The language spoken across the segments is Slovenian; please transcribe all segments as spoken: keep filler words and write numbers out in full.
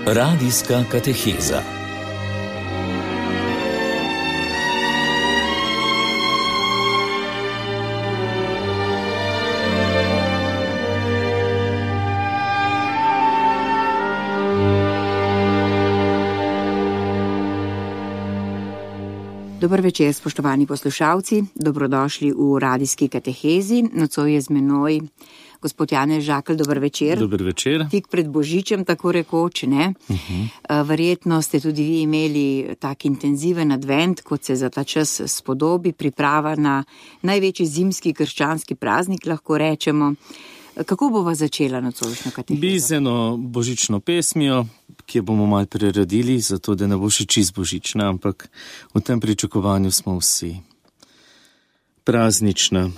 Radijska kateheza. Dober večer, spoštovani poslušalci, dobrodošli v radijski katehezi. Nocoj je z menoj gospod Janez Žakelj, dober večer. Dober večer. Tik pred Božičem, tako rekoč, ne? Uh-huh. Verjetno ste tudi vi imeli tak intenziven advent, kot se za ta čas spodobi, priprava na največji zimski krščanski praznik, lahko rečemo. Kako bova začela nocojšnjo katehezo? Bi z eno božično pesmijo, ki jo bomo malo preredili, zato da ne bo še čist božična, ampak v tem pričakovanju smo vsi. Praznična.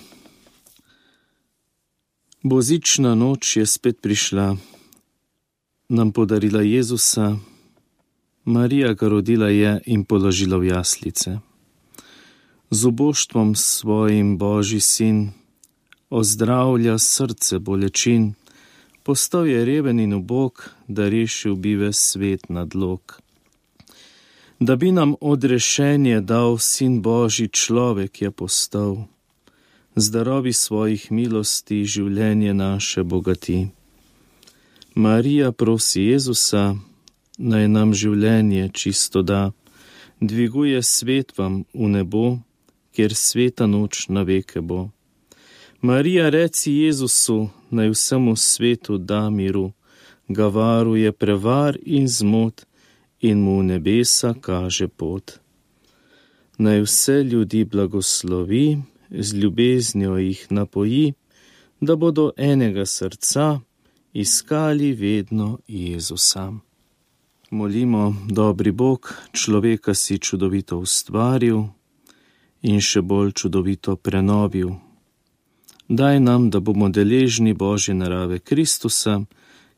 Božična noč je spet prišla, nam podarila Jezusa, Marija ga rodila je in položila v jaslice. Z oboštvom svojim Božji sin ozdravlja srce bolečin, postal je reven in ubog, da rešil bi ves svet nadlog. Da bi nam odrešenje dal sin Božji, človek je postal, z darovi svojih milosti življenje naše bogati. Marija prosi Jezusa, naj nam življenje čisto da, dviguje svet vam v nebo, kjer sveta noč na veke bo. Marija reci Jezusu, naj vsemu svetu da miru, ga varuje prevar in zmot in mu v nebesa kaže pot. Naj vse ljudi blagoslovi, z ljubeznjo jih napoji, da bodo enega srca iskali vedno Jezusa. Molimo, dobri Bog, človeka si čudovito ustvaril in še bolj čudovito prenovil. Daj nam, da bomo deležni Božje narave Kristusa,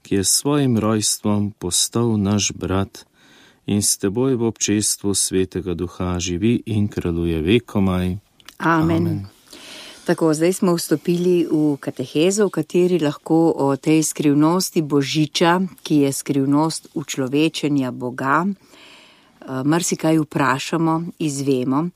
ki je s svojim rojstvom postal naš brat in s teboj v občestvu Svetega Duha živi in kraljuje vekomaj. Amen. Amen. Tako, zdaj smo vstopili v katehezo, v kateri lahko o tej skrivnosti Božiča, ki je skrivnost učlovečenja Boga, marsikaj vprašamo, izvemo,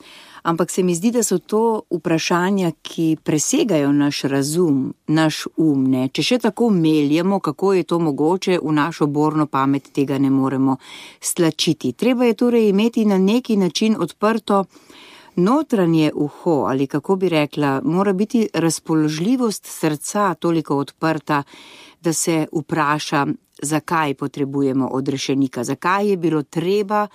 ampak se mi zdi, da so to vprašanja, ki presegajo naš razum, naš um, ne. Če še tako meljemo, kako je to mogoče, v našo borno pamet tega ne moremo stlačiti. Treba je torej imeti na neki način odprto notranje uho, ali kako bi rekla, mora biti razpoložljivost srca toliko odprta, da se vpraša, zakaj potrebujemo odrešenika, zakaj je bilo treba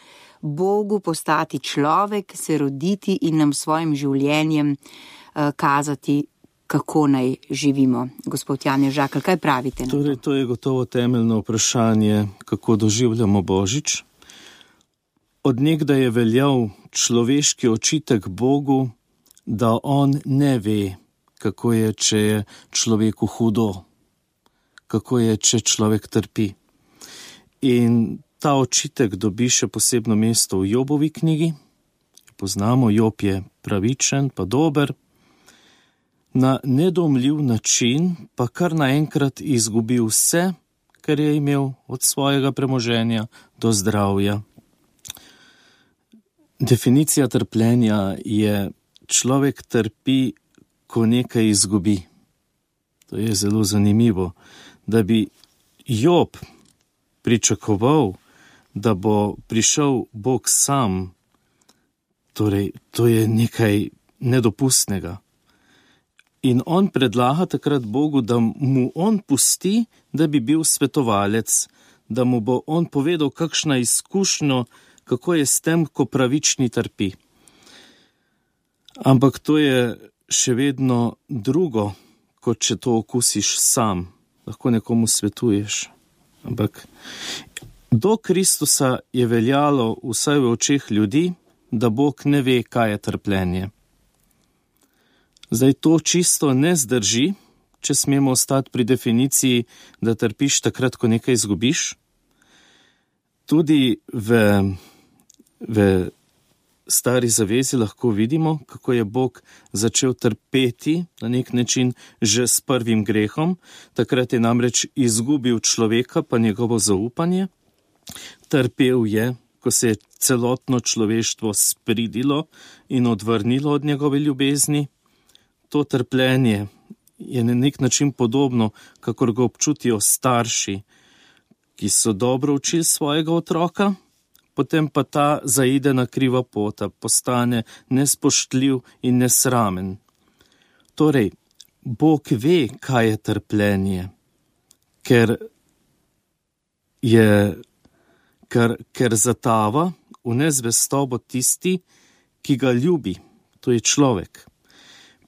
Bogu postati človek, se roditi in nam svojim življenjem uh, kazati, kako naj živimo. Gospod Janez Žakelj, kaj pravite na to? Torej, to je gotovo temeljno vprašanje, kako doživljamo Božič. Od nekdaj je veljal človeški očitek Bogu, da on ne ve, kako je, če je človeku hudo, kako je, če človek trpi. In ta očitek dobi še posebno mesto v Jobovi knjigi. Poznamo, Job je pravičen, pa dober. Na nedomljiv način pa kar naenkrat izgubi vse, kar je imel od svojega premoženja do zdravja. Definicija trpljenja je, človek trpi, ko nekaj izgubi. To je zelo zanimivo, da bi Job pričakoval, da bo prišel Bog sam, torej to je nekaj nedopustnega. In on predlaga takrat Bogu, da mu on pusti, da bi bil svetovalec, da mu bo on povedal, kakšna izkušnja, kako je s tem, ko pravični trpi. Ampak to je še vedno drugo, kot če to okusiš sam, lahko nekomu svetuješ. Ampak do Kristusa je veljalo vsaj v očeh ljudi, da Bog ne ve, kaj je trpljenje. Zdaj to čisto ne zdrži, če smemo ostati pri definiciji, da trpiš takrat, ko nekaj izgubiš. Tudi v, v Stari zavezi lahko vidimo, kako je Bog začel trpeti na nek način že s prvim grehom. Takrat je namreč izgubil človeka pa njegovo zaupanje. Trpel je, ko se je celotno človeštvo spridilo in odvrnilo od njegove ljubezni. To trpljenje je na nek način podobno, kakor ga občutijo starši, ki so dobro učili svojega otroka, potem pa ta zaide na kriva pota, postane nespoštljiv in nesramen. Torej, Bog ve, kaj je trpljenje, ker je, ker, ker zatava v nezvestobo tisti, ki ga ljubi, to je človek.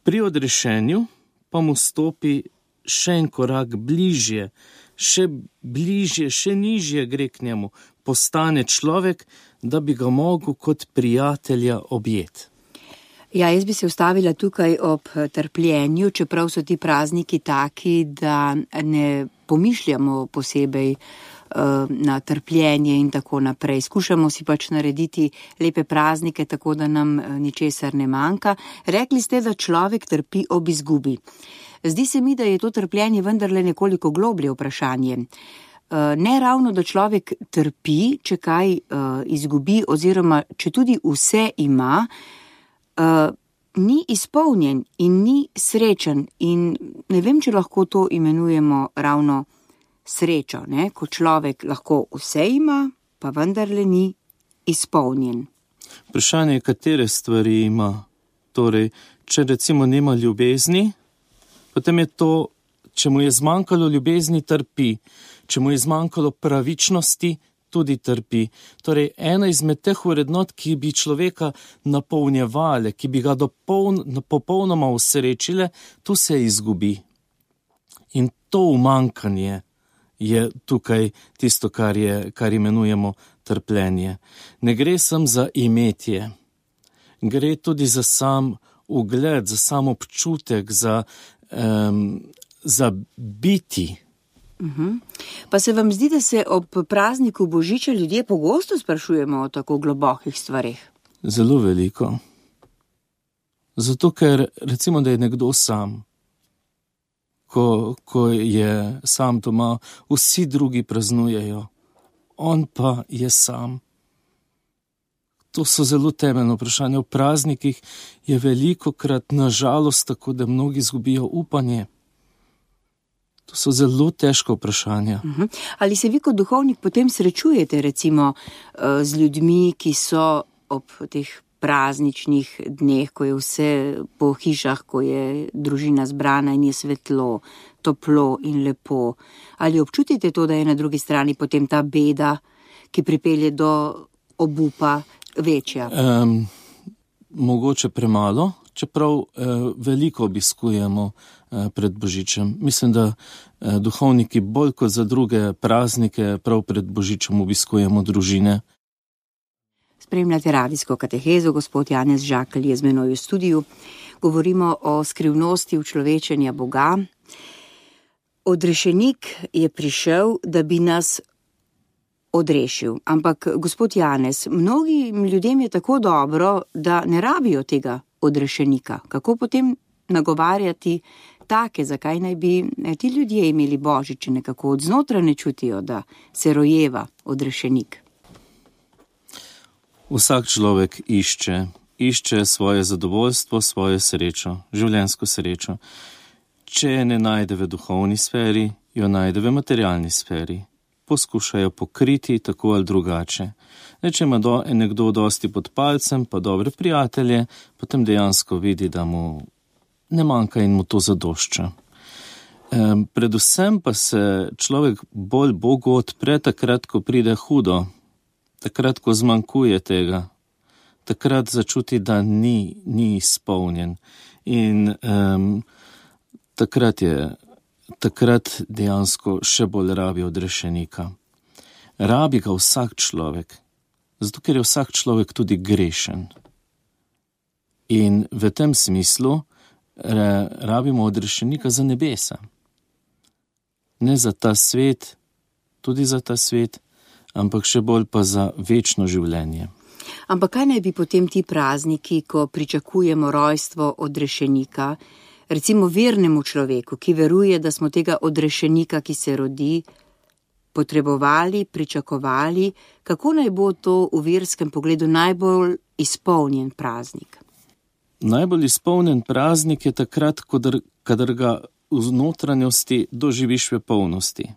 Pri odrešenju pa mu stopi še en korak bližje, še bližje, še nižje gre k njemu, postane človek, da bi ga mogel kot prijatelja objeti. Ja, jaz bi se ustavila tukaj ob trpljenju, čeprav so ti prazniki taki, da ne pomišljamo posebej uh, na trpljenje in tako naprej. Skušamo si pač narediti lepe praznike, tako da nam ničesar ne manjka. Rekli ste, da človek trpi ob izgubi. Zdi se mi, da je to trpljenje vendarle nekoliko globlje vprašanje. Uh, ne ravno, da človek trpi, če kaj uh, izgubi, oziroma če tudi vse ima, Uh, ni izpolnjen in ni srečen in ne vem, če lahko to imenujemo ravno srečo, ne? Ko človek lahko vse ima, pa vendarle ni izpolnjen. Vprašanje je, katere stvari ima. Torej, če recimo nima ljubezni, potem je to, če mu je zmanjkalo ljubezni, trpi. Če mu je zmanjkalo pravičnosti, tudi trpi. Torej, ena izmed teh vrednot, ki bi človeka napolnjevale, ki bi ga dopoln, popolnoma usrečile, tu se izgubi. In to umanjkanje je tukaj tisto, kar, je, kar imenujemo trpljenje. Ne gre samo za imetje, gre tudi za sam ugled, za sam občutek, za, um, za biti. Uhum. Pa se vam zdi, da se ob prazniku Božiča ljudje pogosto sprašujemo o tako globokih stvareh? Zelo veliko. Zato, ker recimo, da je nekdo sam, ko, ko je sam doma, vsi drugi praznujejo, on pa je sam. To so zelo temeljno vprašanje. V praznikih je velikokrat na žalost tako, da mnogi izgubijo upanje. To so zelo težko vprašanja. Uhum. Ali se vi kot duhovnik potem srečujete recimo z ljudmi, ki so ob teh prazničnih dneh, ko je vse po hišah, ko je družina zbrana in je svetlo, toplo in lepo? Ali občutite to, da je na drugi strani potem ta beda, ki pripelje do obupa, večja? Um, mogoče premalo, čeprav uh, veliko obiskujemo pred Božičem. Mislim, da duhovniki bolj kot za druge praznike prav pred Božičem obiskujemo družine. Spremljate radijsko katehezo, gospod Janez Žakelj je z menoj v studiu. Govorimo o skrivnosti učlovečenja Boga. Odrešenik je prišel, da bi nas odrešil. Ampak, gospod Janez, mnogim ljudem je tako dobro, da ne rabijo tega odrešenika. Kako potem nagovarjati take, zakaj naj bi ti ljudje imeli Božič, nekako od znotraj ne čutijo, da se rojeva odrešenik? Vsak človek išče, išče svoje zadovoljstvo, svojo srečo, življenjsko srečo. Če je ne najde v duhovni sferi, jo najde v materialni sferi. Poskušajo pokriti tako ali drugače. Ne, če ima do, nekdo dosti pod palcem, pa dobre prijatelje, potem dejansko vidi, da mu ne manjka in mu to zadošča. E, predvsem pa se človek bolj Bogu odpre takrat, ko pride hudo, takrat, ko zmanjkuje tega, takrat začuti, da ni, ni izpolnjen. In um, takrat je, takrat dejansko še bolj rabi odrešenika. Rabi ga vsak človek, zato ker je vsak človek tudi grešen. In v tem smislu rabimo odrešenika za nebesa. Ne za ta svet, tudi za ta svet, ampak še bolj pa za večno življenje. Ampak kaj naj bi potem ti prazniki, ko pričakujemo rojstvo odrešenika, recimo vernemu človeku, ki veruje, da smo tega odrešenika, ki se rodi, potrebovali, pričakovali, kako naj bo to v verskem pogledu najbolj izpolnjen praznik? Najbolj izpolnjen praznik je takrat, kadar, kadar ga v notranjosti doživiš v polnosti.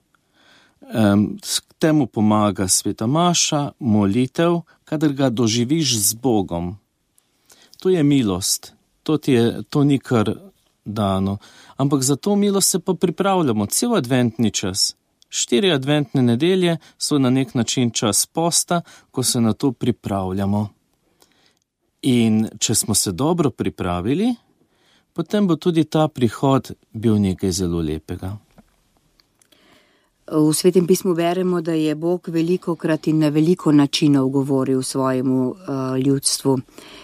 Um, k temu pomaga sveta maša, molitev, kadar ga doživiš z Bogom. To je milost, to, je, to ni kar dano, ampak za to milost se pa pripravljamo cel adventni čas. Štiri adventne nedelje so na nek način čas posta, ko se na to pripravljamo. In če smo se dobro pripravili, potem bo tudi ta prihod bil nekaj zelo lepega. V Svetem pismu beremo, da je Bog velikokrat in na veliko načinov govoril svojemu uh, ljudstvu.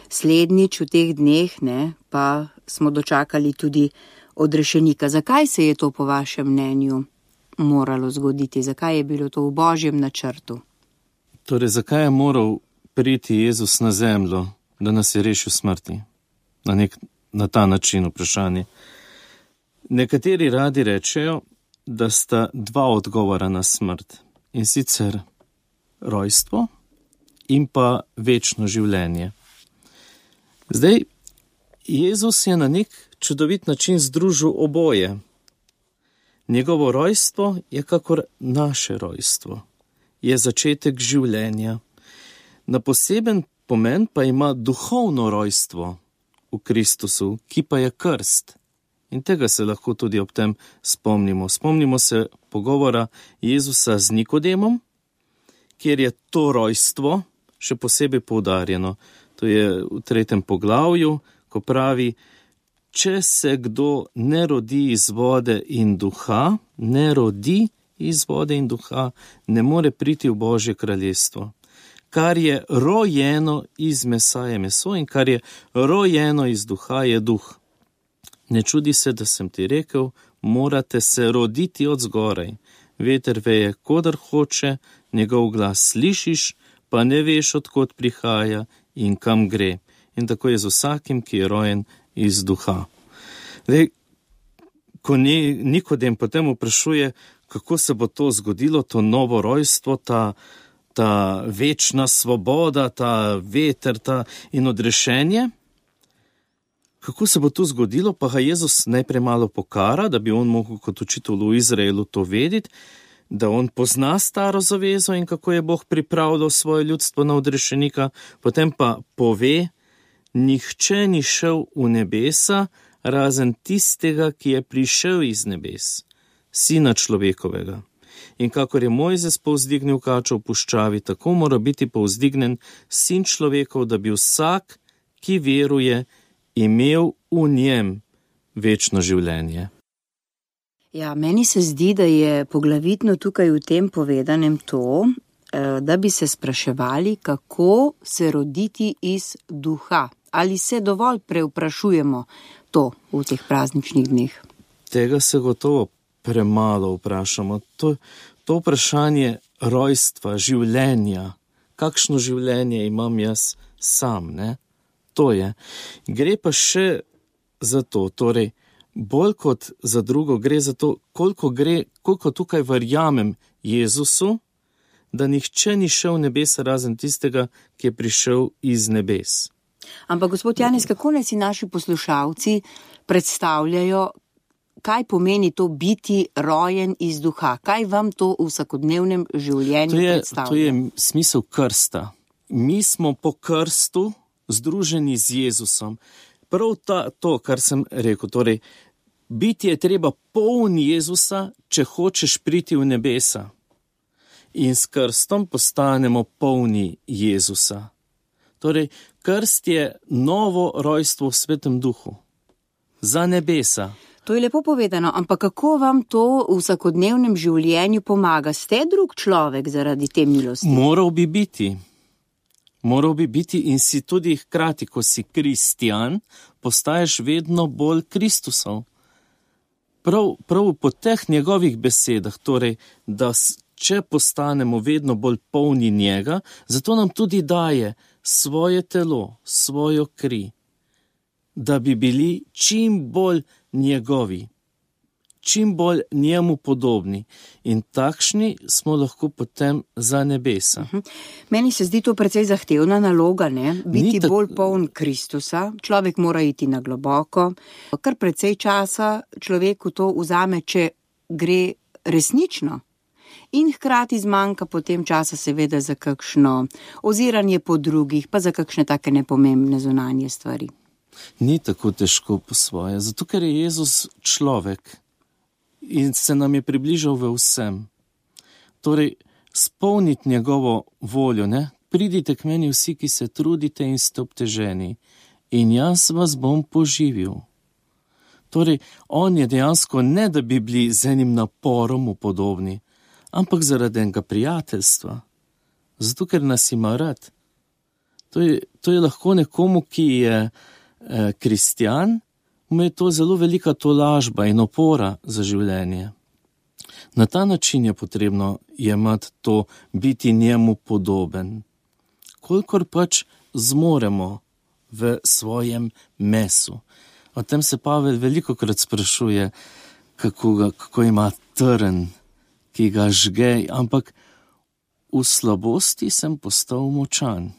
Slednjič v teh dneh ne, pa smo dočakali tudi odrešenika. Zakaj se je to po vašem mnenju moralo zgoditi? Zakaj je bilo to v Božjem načrtu? Torej, zakaj je moral priti Jezus na zemljo, da nas je rešil smrti? Na, nek, na ta način vprašanje. Nekateri radi rečejo, da sta dva odgovora na smrt, in sicer rojstvo in pa večno življenje. Zdaj, Jezus je na nek čudovit način združil oboje. Njegovo rojstvo je kakor naše rojstvo, je začetek življenja. Na poseben pomen pa ima duhovno rojstvo v Kristusu, ki pa je krst. In tega se lahko tudi ob tem spomnimo. Spomnimo se pogovora Jezusa z Nikodemom, kjer je to rojstvo še posebej poudarjeno. To je v tretjem poglavju, ko pravi, če se kdo ne rodi iz vode in duha, ne rodi iz vode in duha, ne more priti v Božje kraljestvo. Kar je rojeno iz mesa je meso in kar je rojeno iz duha je duh. Ne čudi se, da sem ti rekel, morate se roditi od zgoraj. Veter veje, kodar hoče, njegov glas slišiš, pa ne veš, odkot prihaja in kam gre. In tako je z vsakim, ki je rojen iz duha. Zdaj, ko Nikodem potem vprašuje, kako se bo to zgodilo, to novo rojstvo, ta, ta večna svoboda, ta veter ta in odrešenje, kako se bo to zgodilo, pa ga Jezus najprej malo pokara, da bi on mogel kot učitelj v Izraelu to vedeti, da on pozna staro zavezo in kako je Bog pripravljal svoje ljudstvo na odrešenika, potem pa pove, nihče ni šel v nebesa, razen tistega, ki je prišel iz nebes, sina človekovega. In kakor je Mojzes povzdignil kačo v puščavi, tako mora biti povzdignen sin človekov, da bi vsak, ki veruje, imel v njem večno življenje. Ja, meni se zdi, da je poglavitno tukaj v tem povedanem to, da bi se spraševali, kako se roditi iz duha. Ali se dovolj prevprašujemo to v teh prazničnih dneh? Tega se gotovo premalo vprašamo. To, to vprašanje rojstva, življenja, kakšno življenje imam jaz sam, ne? To je. Gre pa še za to, torej, bolj kot za drugo, gre za to, koliko, gre, koliko tukaj verjamem Jezusu, da nihče ni šel v nebes razen tistega, ki je prišel iz nebes. Ampak, gospod Janez, kako naj si naši poslušalci predstavljajo, kaj pomeni to biti rojen iz duha? Kaj vam to v vsakodnevnem življenju to je, predstavlja? To je smisel krsta. Mi smo po krstu združeni z Jezusom. Prav ta, to, kar sem rekel, torej, biti je treba poln Jezusa, če hočeš priti v nebesa. In s krstom postanemo polni Jezusa. Torej, krst je novo rojstvo v Svetem duhu. Za nebesa. To je lepo povedano, ampak kako vam to v vsakodnevnem življenju pomaga? Ste drug človek zaradi te milosti? Moral bi biti. Moral bi biti in si tudi hkrati, ko si kristjan, postaješ vedno bolj Kristusov. Prav, prav po teh njegovih besedah, torej, da če postanemo vedno bolj polni njega, zato nam tudi daje svoje telo, svojo kri, da bi bili čim bolj njegovi, čim bolj njemu podobni. In takšni smo lahko potem za nebesa. Uh-huh. Meni se zdi to precej zahtevna naloga, ne? Biti tak... bolj poln Kristusa. Človek mora iti na globoko. Kar precej časa človeku to vzame, če gre resnično. In hkrati zmanjka potem časa seveda za kakšno oziranje po drugih, pa za kakšne take nepomembne zunanje stvari. Ni tako težko po svoje, zato ker je Jezus človek in se nam je približal v vsem. Torej, spolniti njegovo voljo, ne? Pridite k meni vsi, ki se trudite in ste obteženi, in jaz vas bom poživil. Torej, on je dejansko ne, da bi bili z enim naporom podobni, ampak zaradi enega prijateljstva. Zato, ker nas ima rad. To je, to je lahko nekomu, ki je eh, kristjan, mu je to zelo velika tolažba in opora za življenje. Na ta način je potrebno jemati to, biti njemu podoben. Kolikor pač zmoremo v svojem mesu. O tem se Pavel velikokrat sprašuje, kako, ga, kako ima trn, ki ga žge, ampak v slabosti sem postal močan.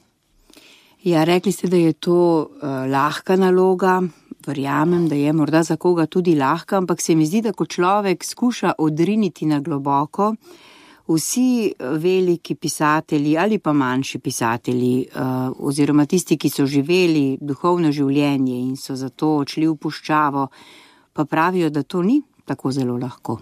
Ja, rekli ste, da je to uh, lahka naloga, verjamem, da je morda za koga tudi lahka, ampak se mi zdi, da ko človek skuša odriniti na globoko, vsi veliki pisatelji ali pa manjši pisatelji uh, oziroma tisti, ki so živeli duhovno življenje in so zato odšli v puščavo, pa pravijo, da to ni tako zelo lahko.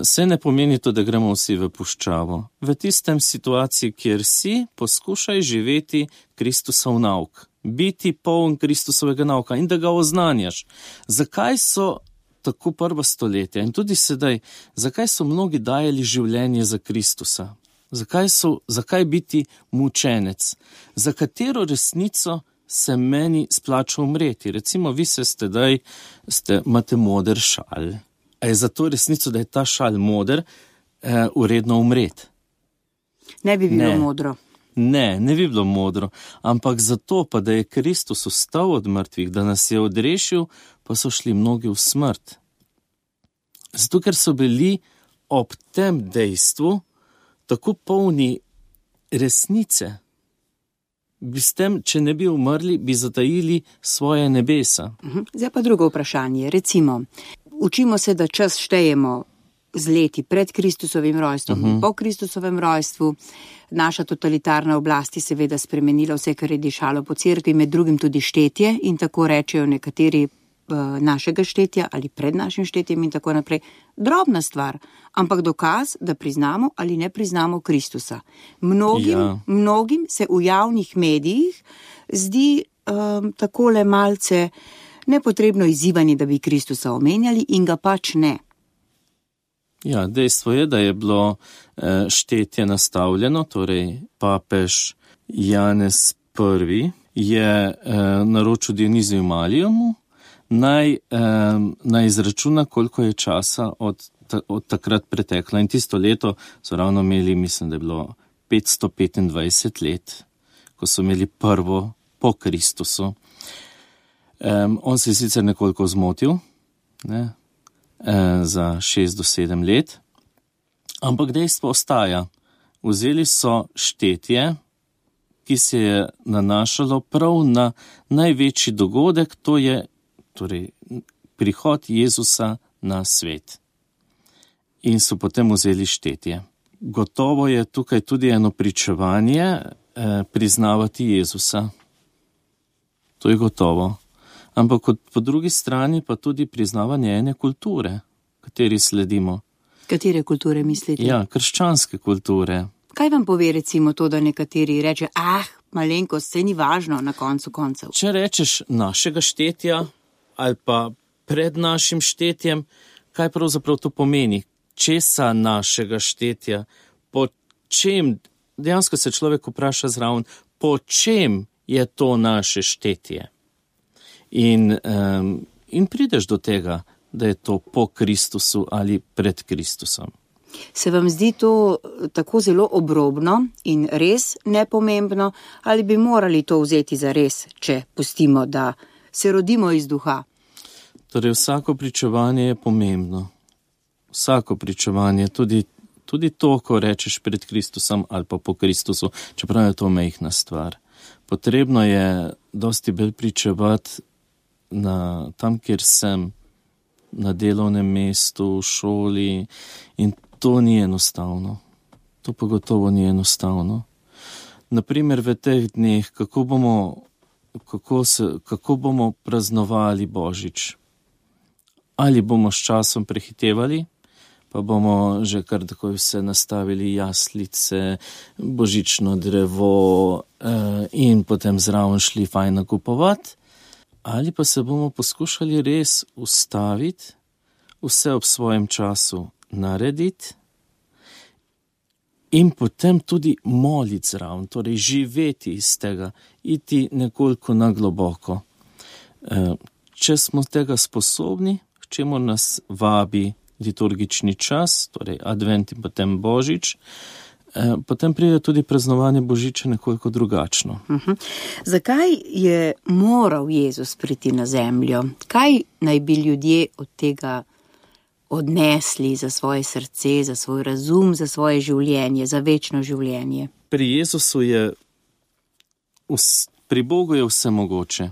Se ne pomeni to, da gremo vsi v puščavo. V tistem situaciji, kjer si, poskušaj živeti Kristusov nauk. Biti poln Kristusovega nauka in da ga oznanjaš. Zakaj so tako prva stoletja in tudi sedaj, zakaj so mnogi dajali življenje za Kristusa? Zakaj, so, zakaj biti mučenec? Za katero resnico se meni splača umreti? Recimo, vi se ste daj, ste, imate moder šal. A je za to resnico, da je ta šal moder, eh, uredno umreti? Ne bi bilo ne. modro. Ne, ne bi bilo modro, ampak zato pa, da je Kristus vstal od mrtvih, da nas je odrešil, pa so šli mnogi v smrt. Zato, ker so bili ob tem dejstvu tako polni resnice. Bi s tem, če ne bi umrli, bi zatajili svoje nebesa. Zdaj pa drugo vprašanje. Recimo, učimo se, da čas štejemo z leti pred Kristusovim rojstvom in uh-huh. po Kristusovem rojstvu. Naša totalitarna oblast je seveda spremenila vse, kar je dišalo po cerkvi, med drugim tudi štetje in tako rečejo nekateri uh, našega štetja ali pred našim štetjem in tako naprej. Drobna stvar, ampak dokaz, da priznamo ali ne priznamo Kristusa. Mnogim, ja. mnogim se v javnih medijih zdi um, takole malce nepotrebno izzivanje, da bi Kristusa omenjali in ga pač ne. Ja, dejstvo je, da je bilo eh, štetje nastavljeno, torej papež Janez prvi je eh, naročil Dioniziju Malijomu, naj, eh, naj izračuna, koliko je časa od, ta, od takrat preteklo. In tisto leto so ravno imeli, mislim, da je bilo petsto petindvajset let, ko so imeli prvo po Kristusu. Eh, on se je sicer nekoliko zmotil, ne? za šest do sedem let, ampak dejstvo ostaja. Vzeli so štetje, ki se je nanašalo prav na največji dogodek, to je torej, prihod Jezusa na svet. In so potem vzeli štetje. Gotovo je tukaj tudi eno pričevanje eh, priznavati Jezusa. To je gotovo. Ampak po drugi strani pa tudi priznavanje ene kulture, kateri sledimo. Katere kulture mislite? Ja, krščanske kulture. Kaj vam pove recimo to, da nekateri reče, ah, malenkost, se ni važno na koncu koncev? Če rečeš našega štetja ali pa pred našim štetjem, kaj pravzaprav to pomeni? Česa našega štetja? Po čem, dejansko se človek vpraša zraven, po čem je to naše štetje? In, um, in prideš do tega, da je to po Kristusu ali pred Kristusom. Se vam zdi to tako zelo obrobno in res nepomembno, ali bi morali to vzeti za res, če pustimo, da se rodimo iz duha? Torej, vsako pričevanje je pomembno. Vsako pričevanje, tudi, tudi to, ko rečeš pred Kristusom ali pa po Kristusu, čeprav je to majhna stvar. Potrebno je dosti bolj pričevati na tam, kjer sem, na delovnem mestu, v šoli, in to ni enostavno. To pa gotovo ni enostavno. Naprimer, v teh dneh, kako bomo, kako se, kako bomo praznovali Božič. Ali bomo s časom prehitevali, pa bomo že kar takoj vse nastavili, jaslice, božično drevo eh, in potem zraven šli fajn nakupovati, ali pa se bomo poskušali res ustaviti, vse ob svojem času narediti in potem tudi moliti zraven, torej živeti iz tega, iti nekoliko na globoko. Eh, če smo tega sposobni, k čemu nas vabi liturgični čas, torej advent in potem Božič, eh, potem pride tudi praznovanje Božiča nekoliko drugačno. Uh-huh. Zakaj je moral Jezus priti na zemljo? Kaj naj bi ljudje od tega odnesli za svoje srce, za svoj razum, za svoje življenje, za večno življenje? Pri Jezusu je, pri Bogu je vse mogoče.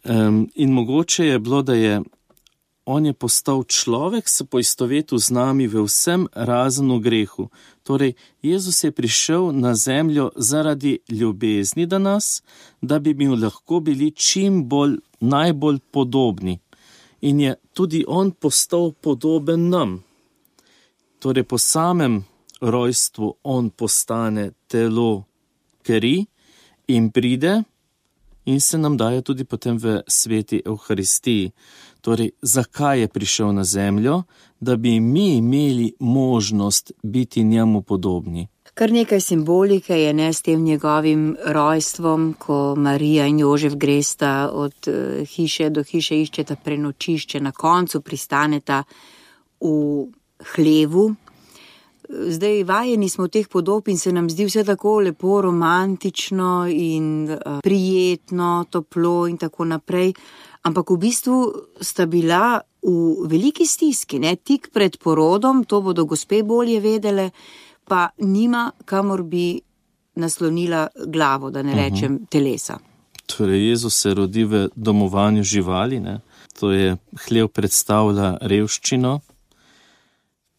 Um, in mogoče je bilo, da je on je postal človek, se poistovetil z nami v vsem razen v grehu. Torej, Jezus je prišel na zemljo zaradi ljubezni do nas, da bi mi lahko bili čim bolj, najbolj podobni. In je tudi on postal podoben nam. Torej, po samem rojstvu on postane telo kri in pride in se nam daje tudi potem v sveti Evharistiji. Torej, zakaj je prišel na zemljo? Da bi mi imeli možnost biti njemu podobni. Kar nekaj simbolike je, ne, s tem njegovim rojstvom, ko Marija in Jožef gresta od hiše do hiše, iščeta prenočišče, na koncu pristaneta v hlevu. Zdaj vajeni smo teh podob in se nam zdi vse tako lepo romantično in uh, prijetno, toplo in tako naprej. Ampak v bistvu sta bila v veliki stiski, ne, tik pred porodom, to bodo gospe bolje vedele, pa nima kamor bi naslonila glavo, da ne rečem uh-huh. telesa. Torej, Jezus se rodi v domovanju živali, ne? To je, hlev predstavlja revščino.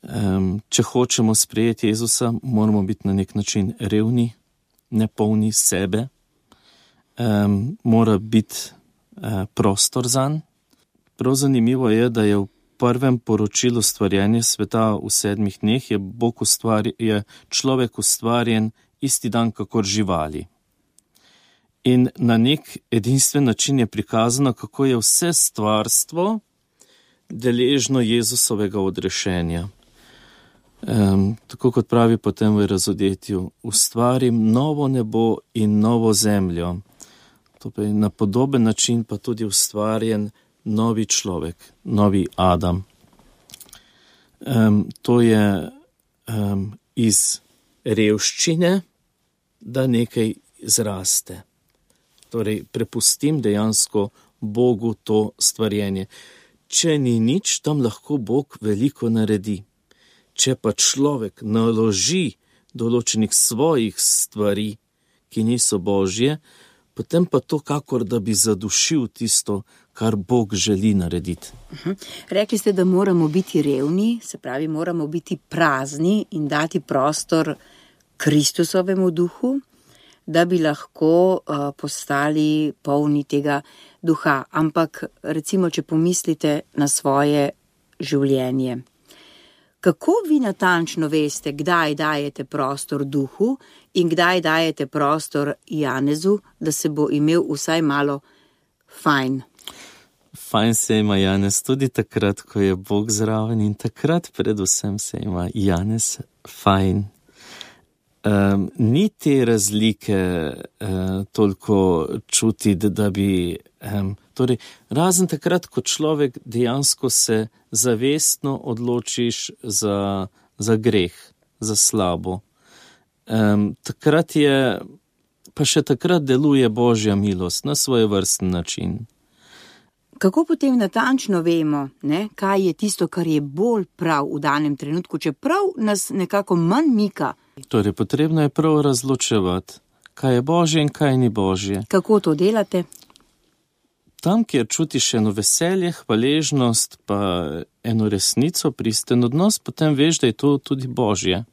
Um, če hočemo sprejeti Jezusa, moramo biti na nek način revni, nepolni sebe. Um, mora biti uh, prostor zanj. Prav zanimivo je, da je v prvem poročilu stvarjenja sveta v sedmih dneh je, Bog ustvari, je človek ustvarjen isti dan kakor živali. In na nek edinstven način je prikazano, kako je vse stvarstvo deležno Jezusovega odrešenja. Um, tako kot pravi potem v razodetju, ustvarim novo nebo in novo zemljo. To pa je na podoben način pa tudi ustvarjen novi človek, novi Adam. Um, to je um, iz revščine, da nekaj zraste. Torej, prepustim dejansko Bogu to stvarjenje. Če ni nič, tam lahko Bog veliko naredi. Če pa človek naloži določenih svojih stvari, ki niso Božje, potem pa to kakor, da bi zadušil tisto, kar Bog želi narediti. Uh-huh. Rekli ste, da moramo biti revni, se pravi, moramo biti prazni in dati prostor Kristusovemu duhu, da bi lahko uh, postali polni tega duha. Ampak recimo, če pomislite na svoje življenje, kako vi natančno veste, kdaj dajete prostor duhu in kdaj dajete prostor Janezu, da se bo imel vsaj malo fajn? Fajn se ima Janez tudi takrat, ko je Bog zraven, in takrat predvsem se ima Janez fajn. Um, ni te razlike uh, toliko čutiti, da bi... Um, torej, razen takrat, ko človek dejansko se zavestno odločiš za, za greh, za slabo. Um, takrat je, pa še takrat deluje Božja milost na svoj vrsten način. Kako potem natančno vemo, ne, kaj je tisto, kar je bolj prav v danem trenutku, čeprav nas nekako manj mika? Torej, potrebno je prav razločevati, kaj je Božje in kaj ni Božje. Kako to delate? Tam, kjer čutiš eno veselje, hvaležnost, pa eno resnico, pristen odnos, potem veš, da je to tudi Božje.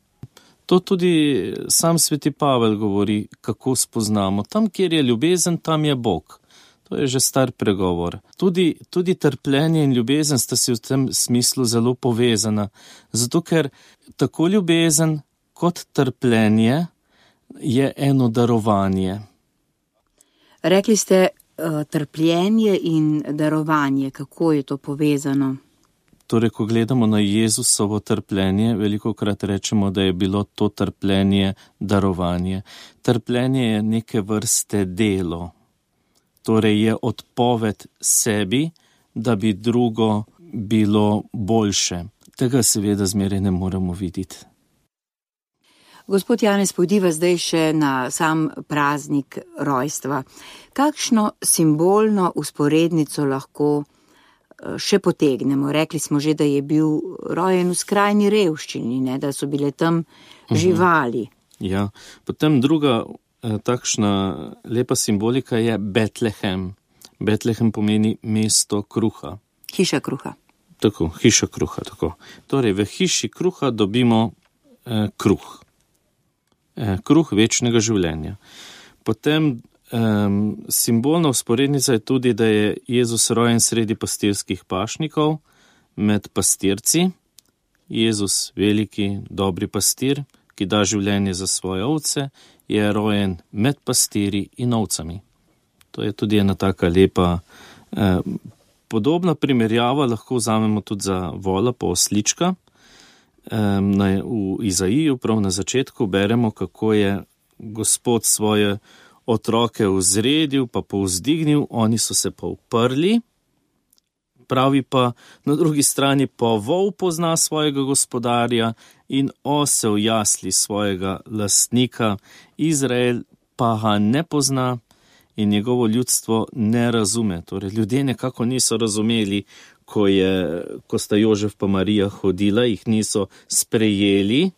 To tudi sam sveti Pavel govori, kako spoznamo. Tam, kjer je ljubezen, tam je Bog. To je že star pregovor. Tudi, tudi trpljenje in ljubezen sta si v tem smislu zelo povezana. Zato, ker tako ljubezen kot trpljenje je eno darovanje. Rekli ste uh, trpljenje in darovanje. Kako je to povezano? Torej, ko gledamo na Jezusovo trpljenje, velikokrat rečemo, da je bilo to trpljenje darovanje. Trpljenje je neke vrste delo. Torej je odpoved sebi, da bi drugo bilo boljše. Tega seveda zmeraj ne moremo videti. Gospod Janez, pojdiva zdaj še na sam praznik rojstva. Kakšno simbolno usporednico lahko še potegnemo? Rekli smo že, da je bil rojen v skrajni revščini, ne, da so bile tam živali. Ja, potem druga takšna lepa simbolika je Betlehem. Betlehem pomeni mesto kruha. Hiša kruha. Tako, hiša kruha, tako. Torej, v hiši kruha dobimo eh, kruh. Eh, kruh večnega življenja. Potem eh, simbolna usporednica je tudi, da je Jezus rojen sredi pastirskih pašnikov, med pastirci. Jezus, veliki, dobri pastir, ki da življenje za svoje ovce, je rojen med pastiri in ovcami. To je tudi ena taka lepa, eh, podobna primerjava, lahko vzamemo tudi za vola po oslička. Eh, na, v Izaiju, prav na začetku, beremo, kako je Gospod svoje otroke vzredil, pa povzdignil, oni so se pa uprli. Pravi pa na drugi strani, pa vol pozna svojega gospodarja in osel jasli svojega lastnika, Izrael pa ga ne pozna in njegovo ljudstvo ne razume. Torej, ljudje nekako niso razumeli, ko, je, ko sta Jožef pa Marija hodila, jih niso sprejeli.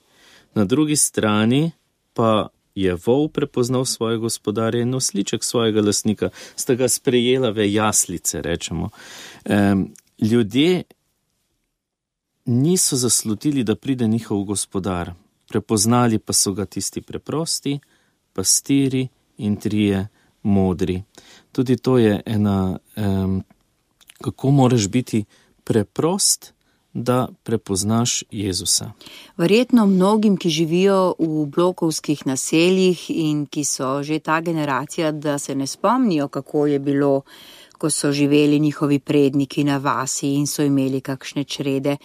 Na drugi strani pa je vol prepoznal svojega gospodarja in osliček svojega lastnika, sta ga sprejela v jaslice, rečemo. Um, ljudje niso zaslutili, da pride njihov gospodar. Prepoznali pa so ga tisti preprosti, pastiri in trije modri. Tudi to je ena, um, kako moraš biti preprost, da prepoznaš Jezusa. Verjetno mnogim, ki živijo v blokovskih naseljih in ki so že ta generacija, da se ne spomnijo, kako je bilo, ko so živeli njihovi predniki na vasi in so imeli kakšne črede,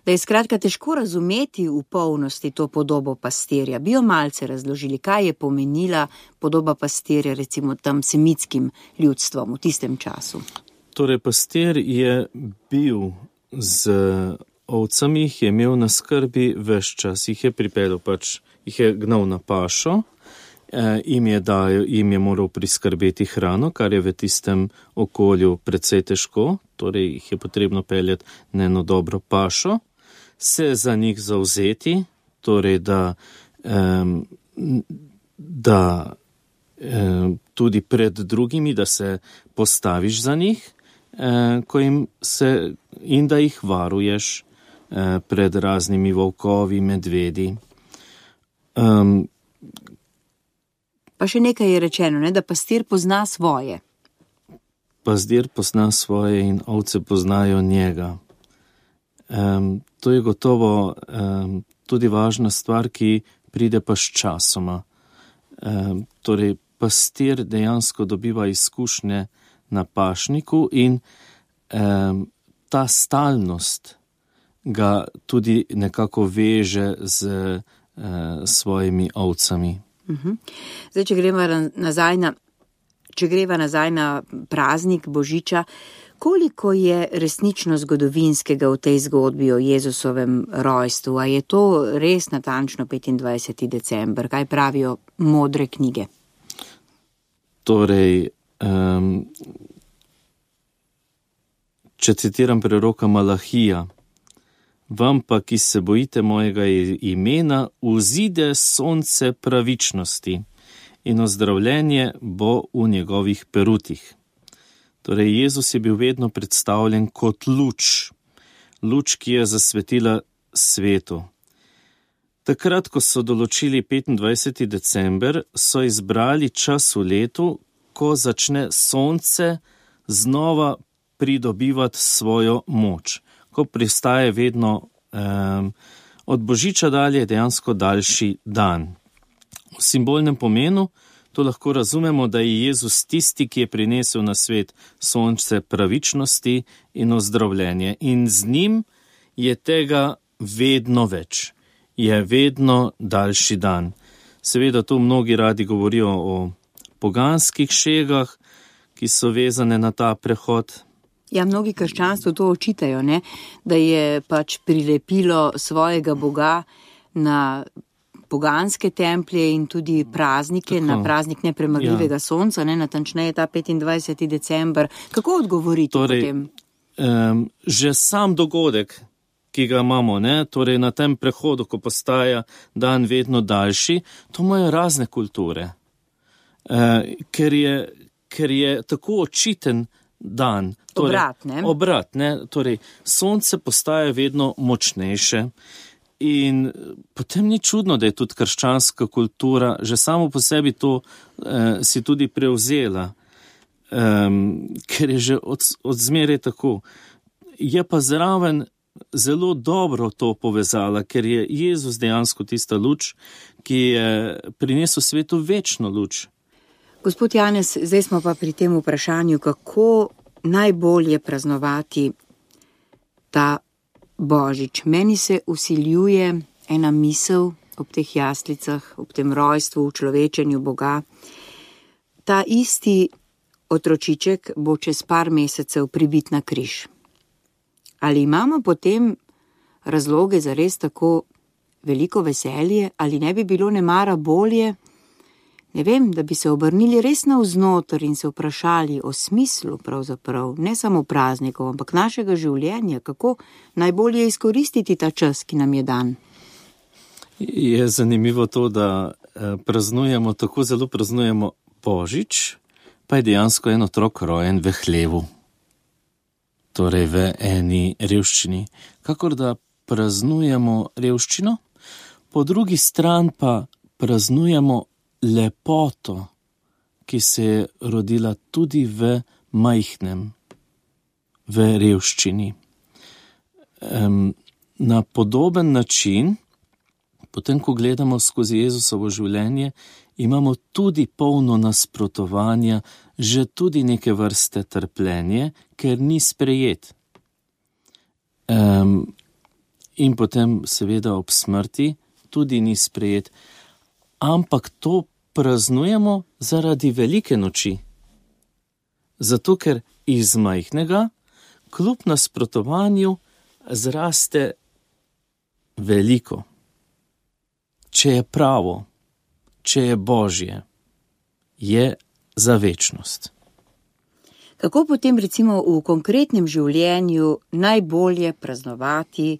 da je skratka težko razumeti v polnosti to podobo pastirja. Bi jo malce razložili, kaj je pomenila podoba pastirja recimo tam semitskim ljudstvom v tistem času? Torej, pastir je bil z ovcami, jih je imel na skrbi ves čas, jih je pripeljal, pač jih je gnal na pašo, eh, jim, je dajal, jim je moral priskrbeti hrano, kar je v tistem okolju precej težko, torej jih je potrebno peljati na eno dobro pašo, se za njih zavzeti, torej da, eh, da eh, tudi pred drugimi, da se postaviš za njih, eh, ko jim se in da jih varuješ eh, pred raznimi volkovi, medvedi. Um, pa še nekaj je rečeno, ne, da pastir pozna svoje. Pastir pozna svoje in ovce poznajo njega. Um, to je gotovo um, tudi važna stvar, ki pride pa s časoma. Um, torej, pastir dejansko dobiva izkušnje na pašniku in um, ta stalnost ga tudi nekako veže z uh, svojimi ovcami. Uh-huh. Zdaj, če greva nazaj na, če greva nazaj na praznik Božiča, koliko je resnično zgodovinskega v tej zgodbi o Jezusovem rojstvu? A je to res natančno petindvajseti december? Kaj pravijo modre knjige? Torej, um, če citiram preroka Malahija, vam pa, ki se bojite mojega imena, vzide sonce pravičnosti in ozdravljenje bo v njegovih perutih. Torej, Jezus je bil vedno predstavljen kot luč, luč, ki je zasvetila svetu. Takrat, ko so določili petindvajseti december, so izbrali čas v letu, ko začne sonce znova pridobivati svojo moč, ko pristaje vedno um, od božiča dalje dejansko daljši dan. V simbolnem pomenu to lahko razumemo, da je Jezus tisti, ki je prinesel na svet sonce pravičnosti in ozdravljenje. In z njim je tega vedno več, je vedno daljši dan. Seveda tu mnogi radi govorijo o poganskih šegah, ki so vezane na ta prehod. Ja, mnogi krščanstvo to očitajo, ne? Da je pač prilepilo svojega Boga na poganske templje in tudi praznike, tako, na praznik nepremagljivega ja. sonca, ne, natančneje ta petindvajseti december. Kako odgovoriti torej, potem? Um, že sam dogodek, ki ga imamo, ne, torej na tem prehodu, ko postaja dan vedno daljši, to imajo razne kulture. Uh, ker, je, ker je tako očiten dan. Torej, obrat, ne? Obrat, ne. Torej, sonce postaja vedno močnejše. In potem ni čudno, da je tudi krščanska kultura že samo po sebi to eh, si tudi prevzela, um, ker je že od, od zmeraj tako. Je pa zraven zelo dobro to povezala, ker je Jezus dejansko tista luč, ki je prinesel svetu večno luč. Gospod Janez, zdaj smo pa pri tem vprašanju, kako najbolje praznovati ta Božič. Meni se vsiljuje ena misel ob teh jaslicah, ob tem rojstvu, v človečenju Boga. Ta isti otročiček bo čez par mesecev pribit na križ. Ali imamo potem razloge za res tako veliko veselje, ali ne bi bilo nemara bolje, ne vem, da bi se obrnili res navznoter in se vprašali o smislu pravzaprav, ne samo praznikov, ampak našega življenja, kako najbolje izkoristiti ta čas, ki nam je dan. Je zanimivo to, da praznujemo, tako zelo praznujemo Božič, pa je dejansko en otrok rojen v hlevu, torej v eni revščini. Kakor da praznujemo revščino, po drugi strani pa praznujemo lepoto, ki se je rodila tudi v majhnem, v revščini. Um, na podoben način, potem ko gledamo skozi Jezusovo življenje, imamo tudi polno nasprotovanja, že tudi neke vrste trpljenje, ker ni sprejet. Um, in potem seveda ob smrti tudi ni sprejet. Ampak to praznujemo zaradi velike noči. Zato, ker iz majhnega, kljub nasprotovanju, zraste veliko. Če je pravo, če je Božje, je za večnost. Kako potem recimo v konkretnem življenju najbolje praznovati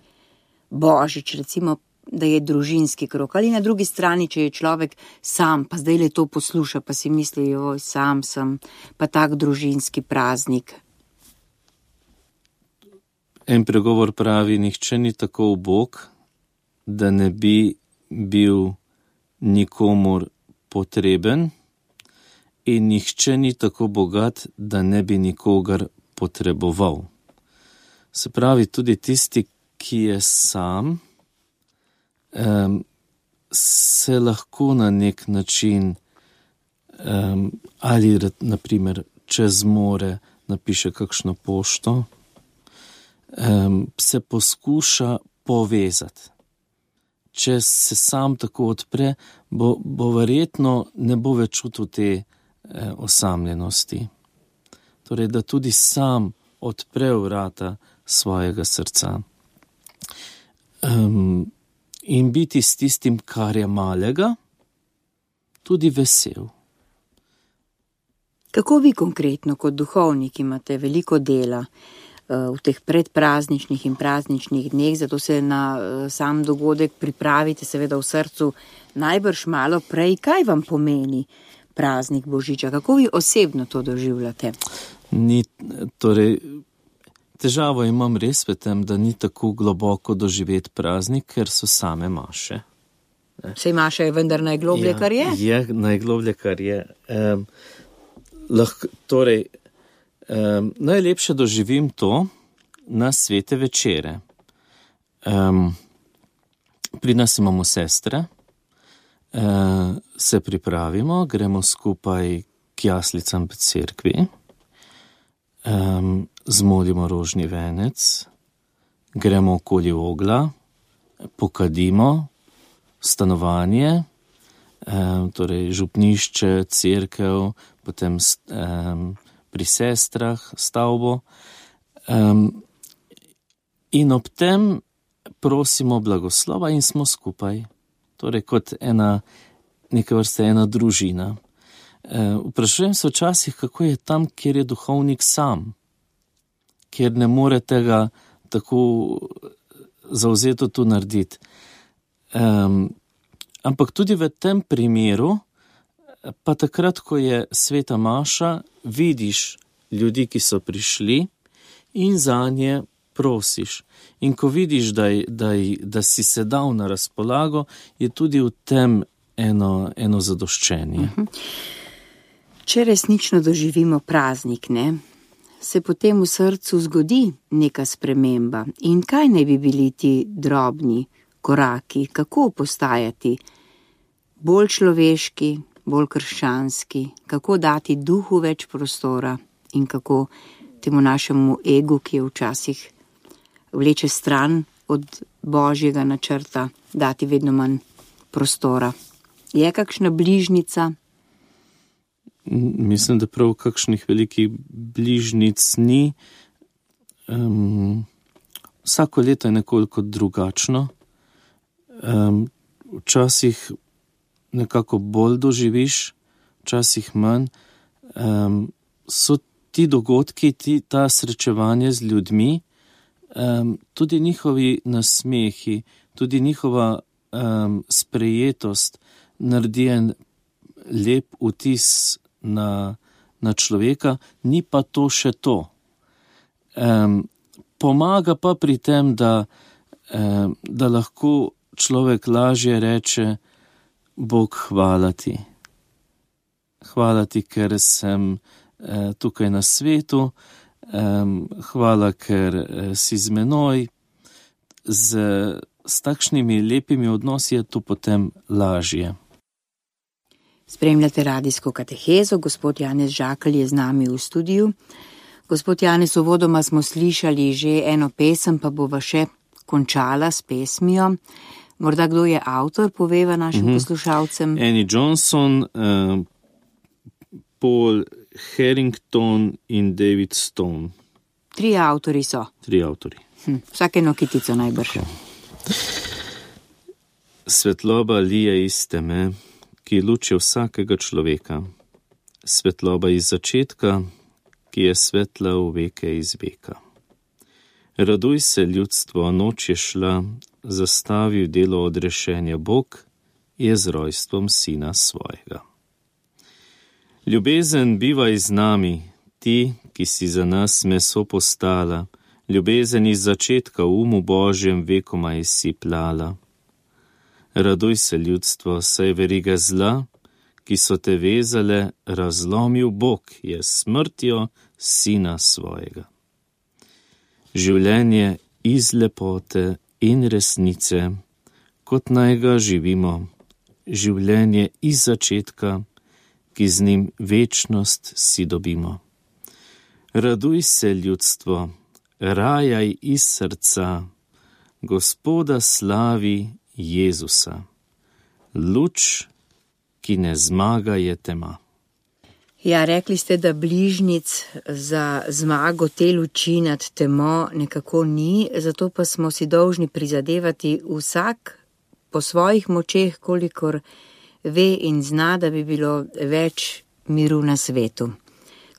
Božič, recimo da je družinski krog, ali na drugi strani, če je človek sam, pa zdaj le to posluša, pa si misli, oj, sam sem, pa tak družinski praznik. En pregovor pravi, nihče ni tako ubog, da ne bi bil nikomur potreben, in nihče ni tako bogat, da ne bi nikogar potreboval. Se pravi, tudi tisti, ki je sam, Um, se lahko na nek način um, ali naprimer čez more napiše kakšno pošto, um, se poskuša povezati. Če se sam tako odpre, bo, bo verjetno ne bo več čutil te eh, osamljenosti. Torej, da tudi sam odpre vrata svojega srca. Um, In biti s tistim, kar je malega, tudi vesel. Kako vi konkretno kot duhovnik imate veliko dela? v teh predprazničnih in prazničnih dneh, zato se na sam dogodek pripravite seveda v srcu najbrž malo prej. Kaj vam pomeni praznik Božiča? Kako vi osebno to doživljate? Ni, torej, težavo imam res v tem, da ni tako globoko doživeti praznik, ker so same maše. Sej maša je vendar najgloblje, ja, kar je? Je najgloblje, kar je. Um, lahko, torej, um, najlepše doživim to na svete večere. Um, pri nas imamo sestre, uh, se pripravimo, gremo skupaj k jaslicam v cerkvi, um, zmolimo rožni venec, gremo okoli ogla, pokadimo stanovanje, um, torej župnišče, cerkev, potem um, pri sestrah stavbo, um, in ob tem prosimo blagoslova in smo skupaj, torej kot ena, neka vrsta ena družina. Uh, vprašujem se včasih, kako je tam, kjer je duhovnik sam, kjer ne more tega tako zavzeto tu narediti. Um, ampak tudi v tem primeru, pa takrat, ko je sveta maša, vidiš ljudi, ki so prišli in zanje prosiš. In ko vidiš, da, da, da si se dal na razpolago, je tudi v tem eno, eno zadoščenje. Če resnično doživimo praznik, ne, se potem v srcu zgodi neka sprememba. In kaj naj bi bili ti drobni koraki, kako postajati bolj človeški, bolj krščanski, kako dati duhu več prostora in kako temu našemu egu, ki je včasih vleče stran od božjega načrta, dati vedno manj prostora. Je kakšna bližnica? Mislim, da prav kakšnih velikih bližnic ni. Um, vsako leto je nekoliko drugačno. Um, včasih nekako bolj doživiš, včasih manj. Um, so ti dogodki, ti, ta srečevanje z ljudmi, um, tudi njihovi nasmehi, tudi njihova um, sprejetost naredi en lep vtis na, na človeka, ni pa to še to. Um, pomaga pa pri tem, da, um, da lahko človek lažje reče: Bog, hvala ti. Hvala ti, ker sem eh, tukaj na svetu, eh, hvala, ker eh, si z menoj. Z, s takšnimi lepimi odnosi je to potem lažje. Spremljate radijsko katehezo, gospod Janez Žakelj je z nami v studiu. Gospod Janez, uvodoma smo slišali že eno pesem, pa bova še končala s pesmijo. Morda kdo je avtor, poveva našim mm-hmm. poslušalcem. Annie Johnson, uh, Paul Harrington in David Stone. Tri avtori so. Tri avtori. Hm, vsake nokitico najbrž. Svetloba lije iz teme, ki luči vsakega človeka. Svetloba iz začetka, ki je svetla v veke iz veka. Raduj se, ljudstvo, noč je šla, zastavil delo odrešenja Bog, je z rojstvom sina svojega. Ljubezen bivaj z nami, ti, ki si za nas meso postala, ljubezen iz začetka v umu Božjem vekomaj si plala. Raduj se, ljudstvo, saj veriga zla, ki so te vezale, razlomil Bog, je smrtjo sina svojega. Življenje iz lepote in resnice, kot naj ga živimo, življenje iz začetka, ki z njim večnost si dobimo. Raduj se, ljudstvo, rajaj iz srca, Gospoda slavi Jezusa. Luč, ki ne zmaga, je tema. Ja, rekli ste, da bližnic za zmago te luči nad temo nekako ni, zato pa smo si dolžni prizadevati vsak po svojih močeh, kolikor ve in zna, da bi bilo več miru na svetu.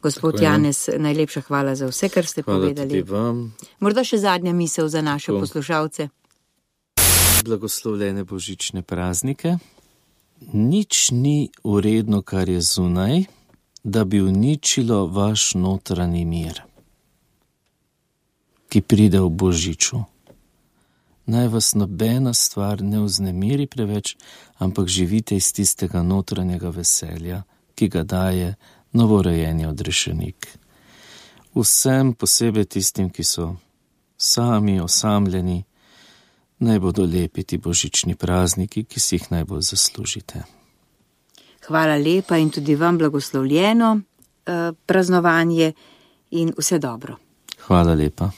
Gospod Tako je. Janez, najlepša hvala za vse, kar ste Hvala povedali. tudi vam. Morda še zadnja misel za naše Tako. poslušalce. Blagoslovljene božične praznike. Nič ni uredno, kar je zunaj, da bi uničilo vaš notranji mir, ki pride v božiču. Naj vas nobena stvar ne vznemiri preveč, ampak živite iz tistega notranjega veselja, ki ga daje novorojeni odrešenik. Vsem, posebej tistim, ki so sami, osamljeni, naj bodo lepi ti božični prazniki, ki si jih najbolj zaslužite. Hvala lepa in tudi vam blagoslovljeno eh, praznovanje in vse dobro. Hvala lepa.